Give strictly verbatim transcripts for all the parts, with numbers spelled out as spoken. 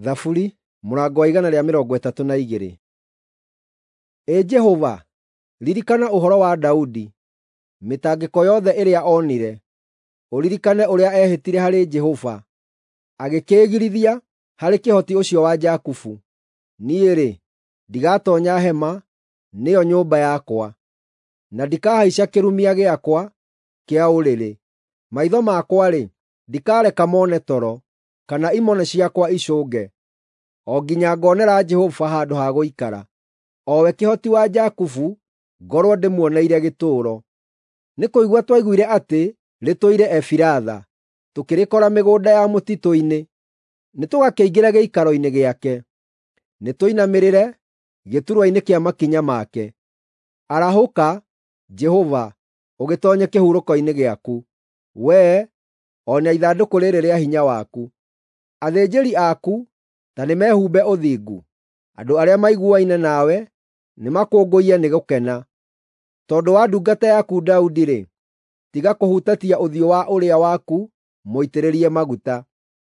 Thaburi mũrango wa igana rĩa mĩrongo ĩtatũ na igĩrĩ. Ĩ Jehova, ririkana ũhoro wa Daudi, mĩtangĩko yothe ĩrĩa onire, ũririkane ũrĩa eehĩtire harĩ Jehova, agĩkĩĩgirithia harĩ Kĩhoti ũcio wa Jakubu: “Niĩ-rĩ, ndigatoonya hema, nĩyo nyũmba yakwa, na ndikahaica kĩrumia gĩakwa kĩa ũrĩrĩ. Maitho makwa-rĩ, ndikareka mone toro, kana imone ciakwa icũnge, o nginya ngonera Jehova handũ ha gũikara, o we Kĩhoti wa Jakubu ngorwo ndĩmuoneire gĩtũũro.” Nĩ kũigua twaiguire atĩ rĩtũire Efiratha, tũkĩrĩkora mĩgũnda ya mũtitũ-inĩ. Nĩtũgakĩingĩre gĩikaro-inĩ gĩake, nĩtũinamĩrĩre gĩturwa-inĩ kĩa makinya make. Arahũka, Jehova, ũgĩtoonye kĩhurũko-inĩ gĩaku, wee, o na ithandũkũ rĩĩrĩ rĩa hinya waku. Athĩnjĩri aku ta nĩmehumbe ũthingu, andũ arĩa maiguaine nawe nĩmakũngũiye nĩ gũkena. Tondũ wa ndungata yaku Daudi-rĩ, tiga kũhutatia ũthiũ wa ũrĩa waku mũitĩrĩrie maguta.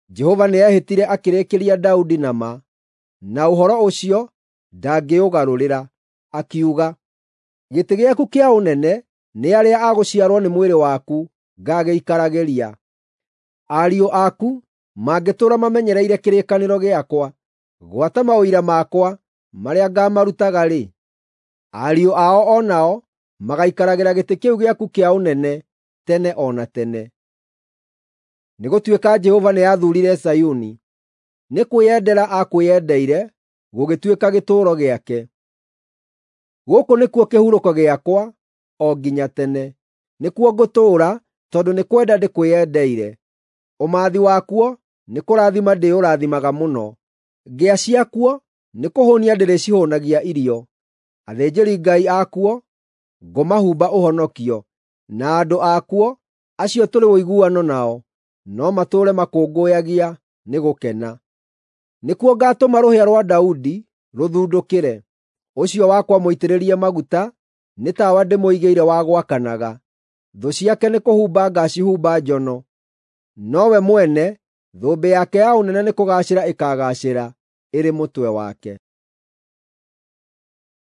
Jehova nĩehĩtire akĩrĩkĩria Daudi na ma, na ũhoro ũcio ndangĩũgarũrĩra, akiuga, “Gĩtĩ gĩaku kĩa ũnene nĩ arĩa a gũciarwo nĩ mwĩrĩ waku ngaagĩikaragĩria. Ariũ aku mangĩtũũra mamenyereire kĩrĩkanĩro gĩakwa, gwata maũira makwa marĩa ngaamarutaga-rĩ, ariũ ao o nao magaikaragĩra gĩtĩ kĩu gĩaku kĩa ũnene tene o na tene.” Nĩgũtuĩka Jehova nĩathuurire Zayuni, nĩ kwĩyendera aakwĩyendeire gũgĩtuĩka gĩtũũro gĩake. “Gũkũ nĩkuo kĩhurũko gĩakwa o nginya tene; nĩkuo ngũtũũra tondũ nĩ kwenda ndĩkwĩyendeire. Ũmathi wakuo nĩkũrathima ndĩũrathimaga mũno; ngĩa ciakuo nĩkũhũũnia ndĩrĩcihũũnagia irio. Athĩnjĩri-Ngai akuo ngũmahumba ũhonokio, na andũ akuo, acio tũrĩ ũiguano nao, no matũũre makũngũyagia nĩ gũkena. Nĩkuo ngaatũma rũhĩa rwa Daudi rũthundũkĩre; ũcio wakwa mũitĩrĩrie maguta nĩ tawa ndĩmũigĩire wa gwakanaga. Thũ ciake nĩkũhumba ngaacihumba njono, nowe mwene thũmbĩ yake ya ũnene nĩkũgaacĩra ĩkaagaacĩra ĩrĩ mũtwe wake.